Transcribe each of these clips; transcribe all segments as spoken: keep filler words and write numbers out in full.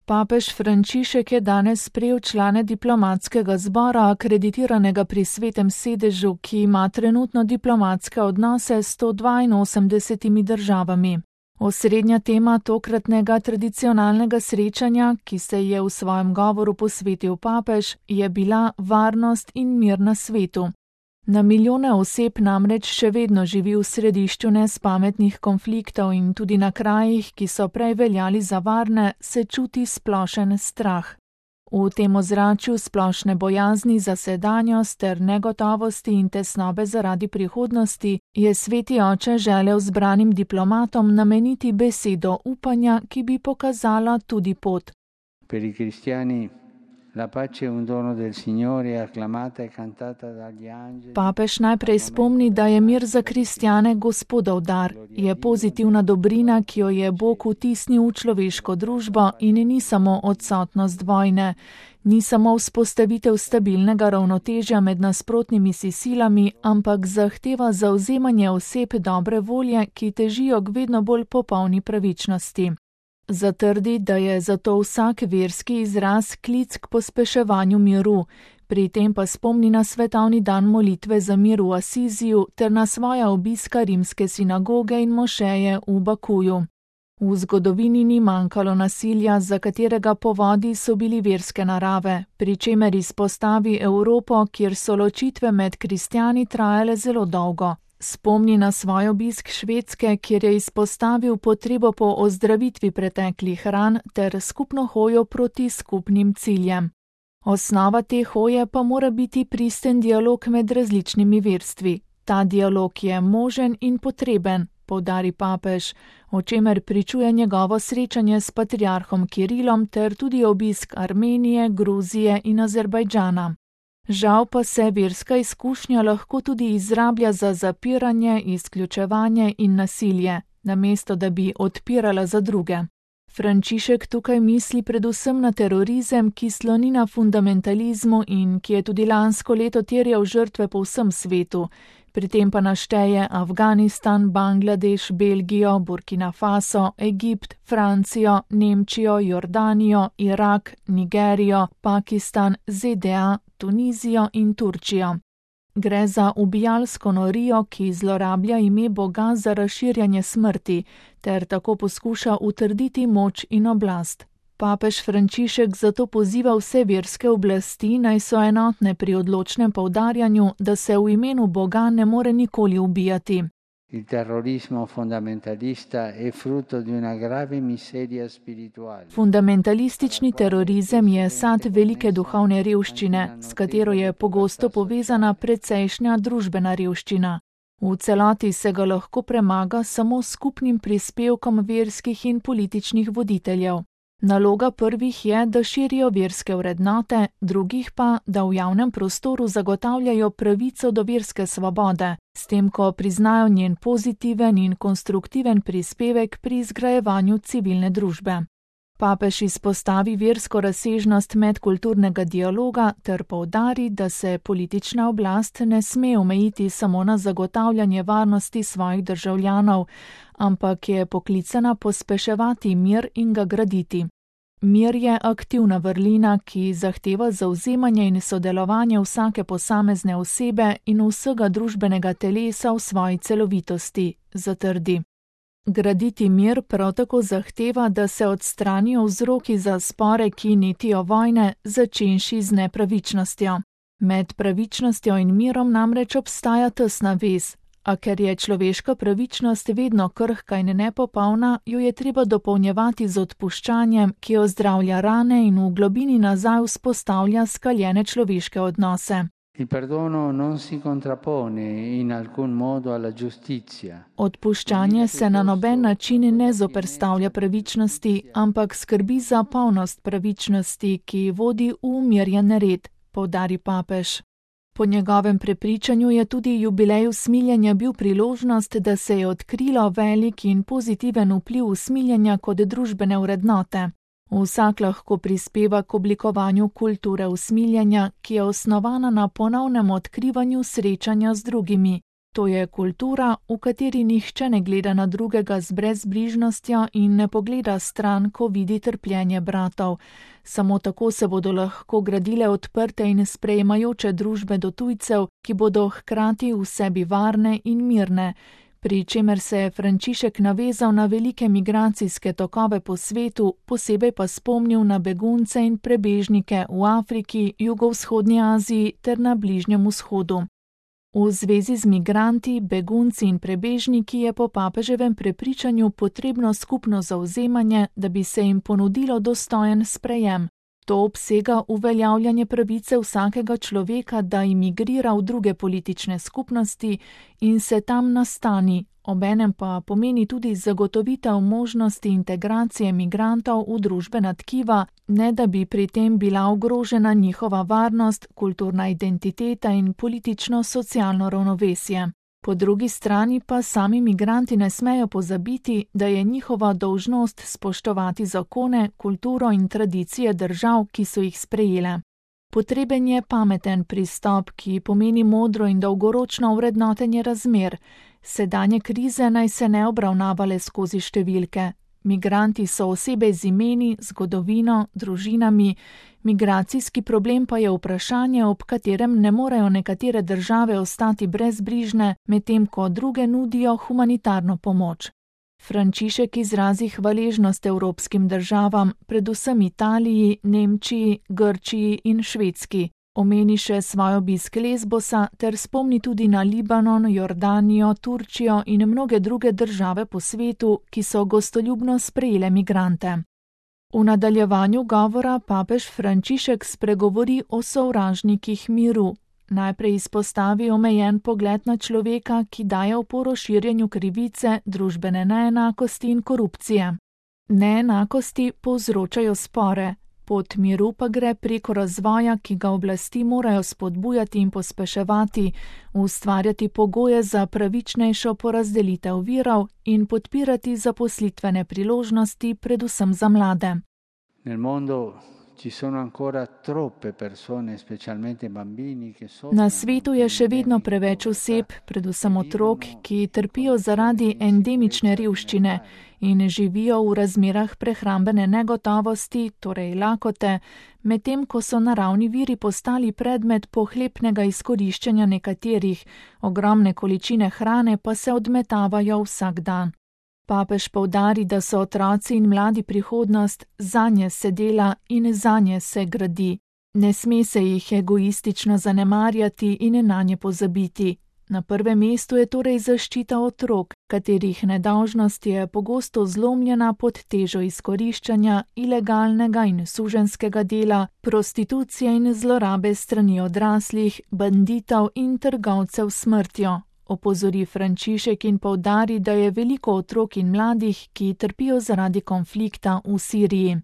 Papež Frančišek je danes sprejel člane diplomatskega zbora, akreditiranega pri Svetem sedežu, ki ima trenutno diplomatske odnose s sto dvainosemdesetimi državami. Osrednja tema tokratnega tradicionalnega srečanja, ki se je v svojem govoru posvetil papež, je bila varnost in mir na svetu. Na milijone oseb namreč še vedno živi v središču nespametnih konfliktov in tudi na krajih, ki so prej veljali za varne, se čuti splošen strah. V tem ozračju splošne bojazni za sedanjost ter negotovosti in tesnobe zaradi prihodnosti je Sveti oče želel zbranim diplomatom nameniti besedo upanja, ki bi pokazala tudi pot. Per i cristiani la pace è un dono del Signore, acclamata e cantata dagli angeli. Papež najprej spomni, da je mir za kristjane Gospodov dar, je pozitivna dobrina, ki jo je Bog vtisnil v človeško družbo in ni samo odsotnost vojne, ni samo vzpostavitev stabilnega ravnotežja med nasprotnimi si silami, ampak zahteva zavzemanje oseb dobre volje, ki težijo k vedno bolj popolni pravičnosti. Zatrdi, da je zato vsak verski izraz klic k pospeševanju miru, pri tem pa spomni na svetovni dan molitve za mir v Asiziju ter na svoja obiska rimske sinagoge in mošeje v Bakuju. V zgodovini ni manjkalo nasilja, za katerega povodi so bili verske narave, pri čemer izpostavi Evropo, kjer so ločitve med kristjani trajale zelo dolgo. Spomni na svoj obisk Švedske, kjer je izpostavil potrebo po ozdravitvi preteklih ran ter skupno hojo proti skupnim ciljem. Osnova te hoje pa mora biti pristen dialog med različnimi verstvi. Ta dialog je možen in potreben, poudari papež, o čemer pričuje njegovo srečanje s patriarhom Kirilom ter tudi obisk Armenije, Gruzije in Azerbajdžana. Žal pa se verska izkušnja lahko tudi izrablja za zapiranje, izključevanje in nasilje, namesto da bi odpirala za druge. Frančišek tukaj misli predvsem na terorizem, ki sloni na fundamentalizmu in ki je tudi lansko leto terjal žrtve po vsem svetu, pri tem pa našteje Afganistan, Bangladeš, Belgijo, Burkina Faso, Egipt, Francijo, Nemčijo, Jordanijo, Irak, Nigerijo, Pakistan, Z D A, Tunizijo in Turčijo. Gre za ubijalsko norijo, ki zlorablja ime Boga za razširjanje smrti, ter tako poskuša utrditi moč in oblast. Papež Frančišek zato poziva vse verske oblasti, naj so enotne pri odločnem poudarjanju, da se v imenu Boga ne more nikoli ubijati. Il terrorismo fondamentalista è frutto di una grave miseria spirituale. Fundamentalistični terorizem je sad velike duhovne revščine, s katero je pogosto povezana precejšnja družbena revščina. V celoti se ga lahko premaga samo skupnim prispevkom verskih in političnih voditeljev. Naloga prvih je, da širijo verske vrednote, drugih pa, da v javnem prostoru zagotavljajo pravico do verske svobode, s tem, ko priznajo njen pozitiven in konstruktiven prispevek pri izgrajevanju civilne družbe. Papež izpostavi versko razsežnost medkulturnega dialoga ter poudari, da se politična oblast ne sme omejiti samo na zagotavljanje varnosti svojih državljanov, ampak je poklicana pospeševati mir in ga graditi. Mir je aktivna vrlina, ki zahteva zavzemanje in sodelovanje vsake posamezne osebe in vsega družbenega telesa v svoji celovitosti, zatrdi. Graditi mir prav tako zahteva, da se odstranijo vzroki za spore, ki netijo vojne, začenši z nepravičnostjo. Med pravičnostjo in mirom namreč obstaja tesna vez, a ker je človeška pravičnost vedno krhka in nepopolna, jo je treba dopolnjevati z odpuščanjem, ki ozdravlja rane in v globini nazaj vzpostavlja skaljene človeške odnose. Il perdono non si contrappone in alcun modo alla giustizia. Odpuščanje se na noben način ne zoperstavlja pravičnosti, ampak skrbi za polnost pravičnosti, ki vodi v umirjen red, poudari papež. Po njegovem prepričanju je tudi jubilej usmiljenja bil priložnost, da se je odkrilo velik in pozitiven vpliv usmiljenja kot družbene vrednote. Vsak lahko prispeva k oblikovanju kulture usmiljenja, ki je osnovana na ponovnem odkrivanju srečanja z drugimi. To je kultura, v kateri nihče ne gleda na drugega z brezbrižnostjo in ne pogleda stran, ko vidi trpljenje bratov. Samo tako se bodo lahko gradile odprte in sprejemajoče družbe do tujcev, ki bodo hkrati v sebi varne in mirne, pri čemer se je Frančišek navezal na velike migracijske tokove po svetu, posebej pa spomnil na begunce in prebežnike v Afriki, jugovzhodnji Aziji ter na Bližnjem vzhodu. V zvezi z migranti, begunci in prebežniki je po papeževem prepričanju potrebno skupno zavzemanje, da bi se jim ponudilo dostojen sprejem. To obsega uveljavljanje pravice vsakega človeka, da imigrira v druge politične skupnosti in se tam nastani, obenem pa pomeni tudi zagotovitev možnosti integracije migrantov v družbena tkiva, ne da bi pri tem bila ogrožena njihova varnost, kulturna identiteta in politično-socialno ravnovesje. Po drugi strani pa sami migranti ne smejo pozabiti, da je njihova dolžnost spoštovati zakone, kulturo in tradicije držav, ki so jih sprejele. Potreben je pameten pristop, ki pomeni modro in dolgoročno vrednotenje razmer. Sedanje krize naj se ne obravnavale skozi številke. Migranti so osebe z imeni, zgodovino, družinami, migracijski problem pa je vprašanje, ob katerem ne morejo nekatere države ostati brezbrižne, medtem ko druge nudijo humanitarno pomoč. Frančišek izrazi hvaležnost evropskim državam, predvsem Italiji, Nemčiji, Grčiji in Švedski. Omeni še svoj obisk Lesbosa ter spomni tudi na Libanon, Jordanijo, Turčijo in mnoge druge države po svetu, ki so gostoljubno sprejele migrante. V nadaljevanju govora papež Frančišek spregovori o sovražnikih miru. Najprej izpostavi omejen pogled na človeka, ki daje oporo širjenju krivice, družbene neenakosti in korupcije. Neenakosti povzročajo spore. Pot miru pa gre preko razvoja, ki ga oblasti morajo spodbujati in pospeševati, ustvarjati pogoje za pravičnejšo porazdelitev virov in podpirati zaposlitvene priložnosti, predvsem za mlade. Nel mondo ci sono ancora troppe persone, specialmente bambini, che soffrono. Na svetu je še vedno preveč oseb, predvsem otrok, ki trpijo zaradi endemične revščine in živijo v razmerah prehrambene negotovosti, torej lakote, medtem ko so naravni viri postali predmet pohlepnega izkoriščanja nekaterih, ogromne količine hrane pa se odmetavajo vsak dan. Papež poudari, da so otroci in mladi prihodnost, zanje se dela in zanje se gradi. Ne sme se jih egoistično zanemarjati in nanje pozabiti. Na prvem mestu je torej zaščita otrok, katerih nedolžnost je pogosto zlomljena pod težo izkoriščanja, ilegalnega in suženjskega dela, prostitucije in zlorabe strani odraslih, banditov in trgovcev s smrtjo. Opozori Frančišek in poudari, da je veliko otrok in mladih, ki trpijo zaradi konflikta v Siriji.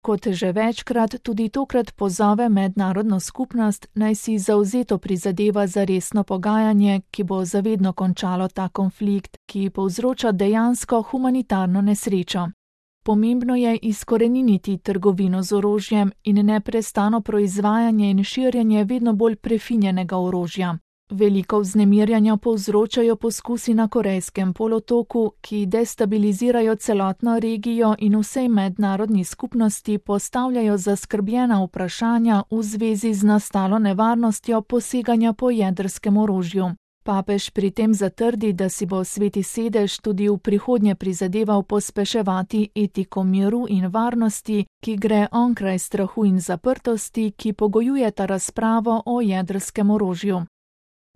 Kot že večkrat, tudi tokrat pozove mednarodno skupnost, naj si zavzeto prizadeva za resno pogajanje, ki bo zavedno končalo ta konflikt, ki povzroča dejansko humanitarno nesrečo. Pomembno je izkoreniniti trgovino z orožjem in neprestano proizvajanje in širjenje vedno bolj prefinjenega orožja. Veliko vznemirjanja povzročajo poskusi na Korejskem polotoku, ki destabilizirajo celotno regijo in vsej mednarodni skupnosti postavljajo zaskrbljena vprašanja v zvezi z nastalo nevarnostjo poseganja po jedrskem orožju. Papež pri tem zatrdi, da si bo Sveti sedež tudi v prihodnje prizadeval pospeševati etiko miru in varnosti, ki gre onkraj strahu in zaprtosti, ki pogojujeta razpravo o jedrskem orožju.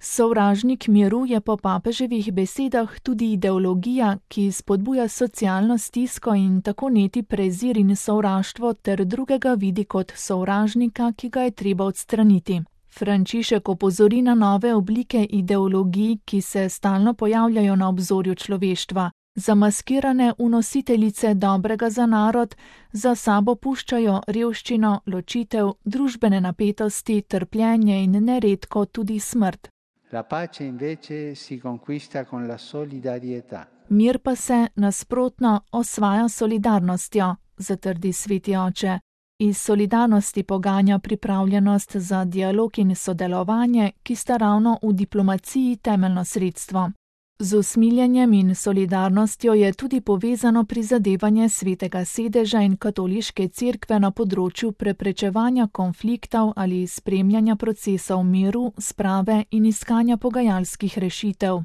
Sovražnik miru je po papeževih besedah tudi ideologija, ki spodbuja socialno stisko in tako neti prezir in sovraštvo ter drugega vidi kot sovražnika, ki ga je treba odstraniti. Frančišek opozori na nove oblike ideologij, ki se stalno pojavljajo na obzorju človeštva. Zamaskirane vnositeljice dobrega za narod za sabo puščajo revščino, ločitev, družbene napetosti, trpljenje in neredko tudi smrt. La pace invece si conquista con la solidarietà. Mir pa se, nasprotno, osvaja solidarnostjo, zatrdi sveti oče. Iz solidarnosti poganja pripravljenost za dialog in sodelovanje, ki sta ravno v diplomaciji temeljno sredstvo. Z usmiljenjem in solidarnostjo je tudi povezano prizadevanje Svetega sedeža in katoliške cerkve na področju preprečevanja konfliktov ali spremljanja procesov miru, sprave in iskanja pogajalskih rešitev.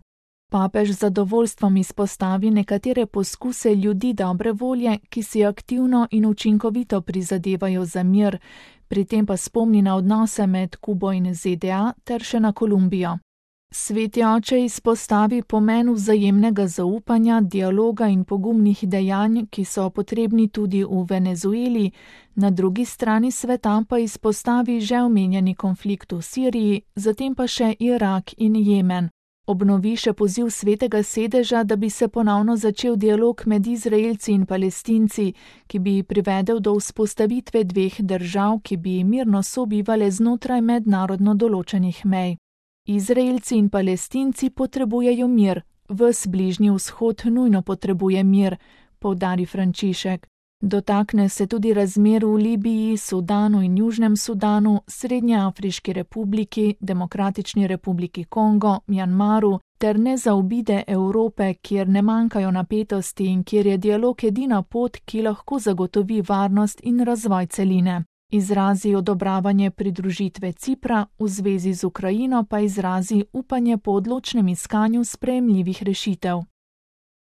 Papež z zadovoljstvom izpostavi nekatere poskuse ljudi dobre volje, ki si aktivno in učinkovito prizadevajo za mir, pri tem pa spomni na odnose med Kubo in Z D A ter še na Kolumbijo. Sveti oče izpostavi pomen vzajemnega zaupanja, dialoga in pogumnih dejanj, ki so potrebni tudi v Venezueli, na drugi strani sveta pa izpostavi že omenjeni konflikt v Siriji, zatem pa še Irak in Jemen. Obnovi še poziv Svetega sedeža, da bi se ponovno začel dialog med Izraelci in Palestinci, ki bi privedel do vzpostavitve dveh držav, ki bi mirno sobivale znotraj mednarodno določenih mej. Izraelci in Palestinci potrebujejo mir, ves Bližnji vzhod nujno potrebuje mir, poudari Frančišek. Dotakne se tudi razmer v Libiji, Sudanu in Južnem Sudanu, Srednjeafriški republiki, Demokratični republiki Kongo, Mjanmaru ter ne zaobide Evrope, kjer ne manjkajo napetosti in kjer je dialog edina pot, ki lahko zagotovi varnost in razvoj celine. Izrazi odobravanje pridružitve Cipra, v zvezi z Ukrajino pa izrazi upanje po odločnem iskanju sprejemljivih rešitev.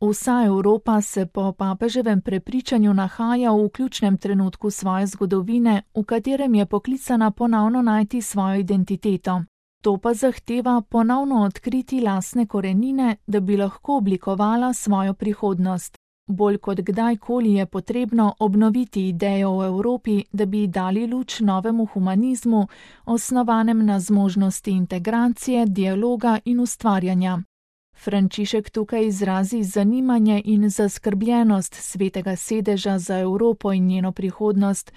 Vsa Evropa se po papeževem prepričanju nahaja v ključnem trenutku svoje zgodovine, v katerem je poklicana ponovno najti svojo identiteto. To pa zahteva ponovno odkriti lastne korenine, da bi lahko oblikovala svojo prihodnost. Bolj kot kdajkoli je potrebno obnoviti idejo o Evropi, da bi dali luč novemu humanizmu, osnovanem na zmožnosti integracije, dialoga in ustvarjanja. Frančišek tukaj izrazi zanimanje in zaskrbljenost Svetega sedeža za Evropo in njeno prihodnost,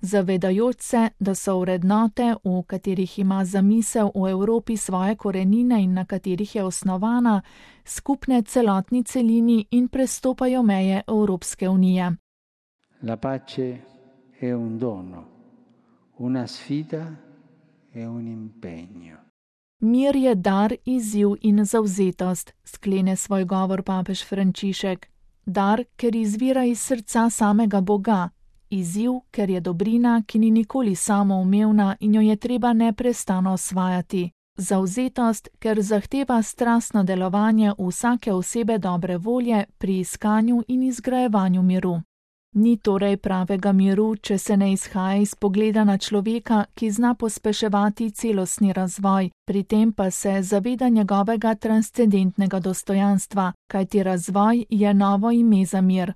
zavedajoč se, da so vrednote, v katerih ima zamisel o Evropi svoje korenine in na katerih je osnovana, skupne celotni celini in prestopajo meje Evropske unije. La pace è un dono, una sfida e un impegno. Mir je dar, izziv in zavzetost, sklene svoj govor papež Frančišek. Dar, ker izvira iz srca samega Boga. Izziv, ker je dobrina, ki ni nikoli samoumevna in jo je treba neprestano osvajati. Zavzetost, ker zahteva strastno delovanje vsake osebe dobre volje pri iskanju in izgrajevanju miru. Ni torej pravega miru, če se ne izhaja iz pogleda na človeka, ki zna pospeševati celostni razvoj, pri tem pa se zaveda njegovega transcendentnega dostojanstva, kajti razvoj je novo ime za mir.